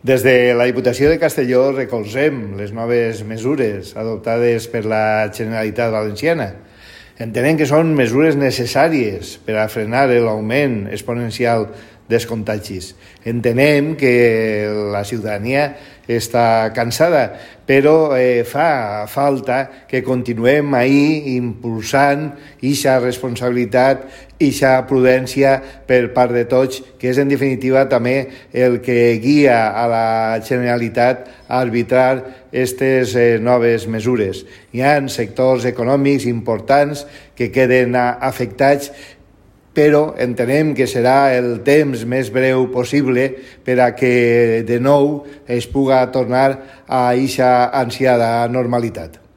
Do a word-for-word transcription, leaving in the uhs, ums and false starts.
Des de la Diputació de Castelló recolzem les noves mesures adoptades per la Generalitat Valenciana. Entenem que són mesures necessàries per a frenar l'augment exponencial dels contagis. Entenem que la ciutadania està cansada, però eh, fa falta que continuem ahí impulsant eixa responsabilitat, eixa prudència per part de tots, que és en definitiva també el que guia a la Generalitat a arbitrar aquestes eh, noves mesures. Hi ha sectors econòmics importants que queden afectats, però entenem que serà el temps més breu possible per a que de nou es puga tornar a eixa ansiada normalitat.